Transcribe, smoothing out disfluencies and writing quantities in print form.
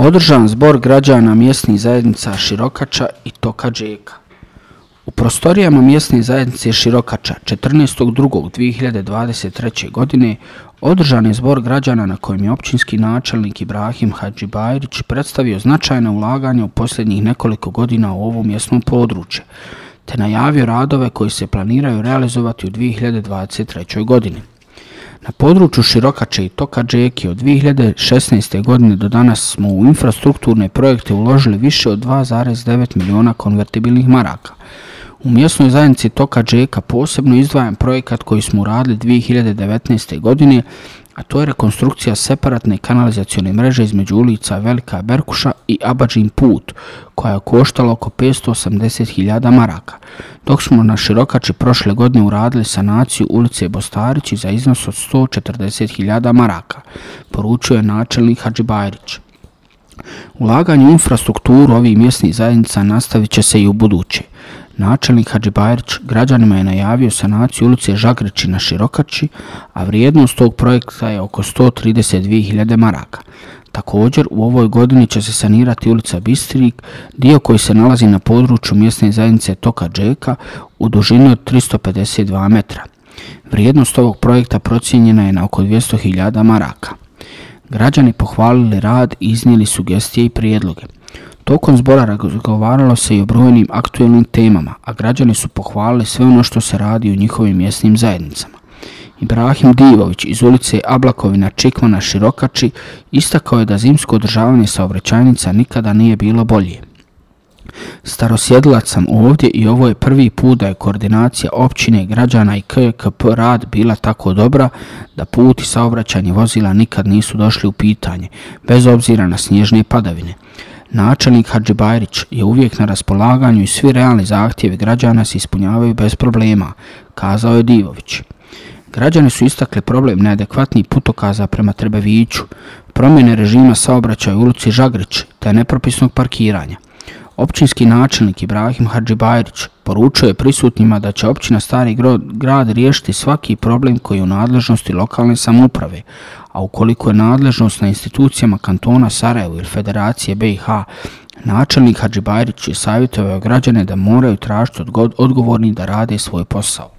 Održan zbor građana mjesnih zajednica Širokača i Toka Džeka. U prostorijama mjesne zajednice Širokača 14.2.2023. godine održan je zbor građana na kojem je općinski načelnik Ibrahim Hadžibajrić predstavio značajna ulaganja u posljednjih nekoliko godina u ovom mjesnom području, te najavio radove koji se planiraju realizovati u 2023. godini. Na području Širokače i Toka Džeke od 2016. godine do danas smo u infrastrukturne projekte uložili više od 2,9 miliona konvertibilnih maraka. U mjesnoj zajednici Toka Džeka posebno izdvajam projekat koji smo uradili 2019. godine, a to je rekonstrukcija separatne kanalizacione mreže između ulica Velika Berkuša i Abadžin put, koja je koštala oko 580.000 maraka, dok smo na Širokači prošle godine uradili sanaciju ulice Bostarići za iznos od 140.000 maraka, poručio je načelnik Hadžibajrić. Ulaganje u infrastrukturu ovih mjesnih zajednica nastavit će se i u buduće. Načelnik Hadžibajrić građanima je najavio sanaciju ulice Žagreći na Širokači, a vrijednost tog projekta je oko 132.000 maraka. Također, u ovoj godini će se sanirati ulica Bistrik, dio koji se nalazi na području mjesne zajednice Toka Džeka u dužini od 352 metra. Vrijednost ovog projekta procijenjena je na oko 200.000 maraka. Građani pohvalili rad i iznijeli sugestije i prijedloge. Tokom zbora razgovaralo se i o brojnim aktuelnim temama, a građani su pohvalili sve ono što se radi u njihovim mjesnim zajednicama. Ibrahim Divović iz ulice Ablakovina Čikmana Širokači istakao je da zimsko održavanje saobraćajnica nikada nije bilo bolje. Starosjedilac sam ovdje i ovo je prvi put da je koordinacija općine, građana i KKP rad bila tako dobra da put i saobraćanje vozila nikad nisu došli u pitanje, bez obzira na snježne padavine. Načelnik Hadžibajrić je uvijek na raspolaganju i svi realni zahtjevi građana se ispunjavaju bez problema, kazao je Divović. Građani su istakli problem neadekvatnih putokaza prema Trebeviću, promjene režima saobraćaja u ulici Žagrić te nepropisnog parkiranja. Općinski načelnik Ibrahim Hadžibajrić poručio je prisutnima da će općina Stari grad riješiti svaki problem koji je u nadležnosti lokalne samouprave, a ukoliko je nadležnost na institucijama kantona Sarajevo ili Federacije BiH, načelnik Hadžibajrić je savjetovao građane da moraju tražiti odgovorni da rade svoj posao.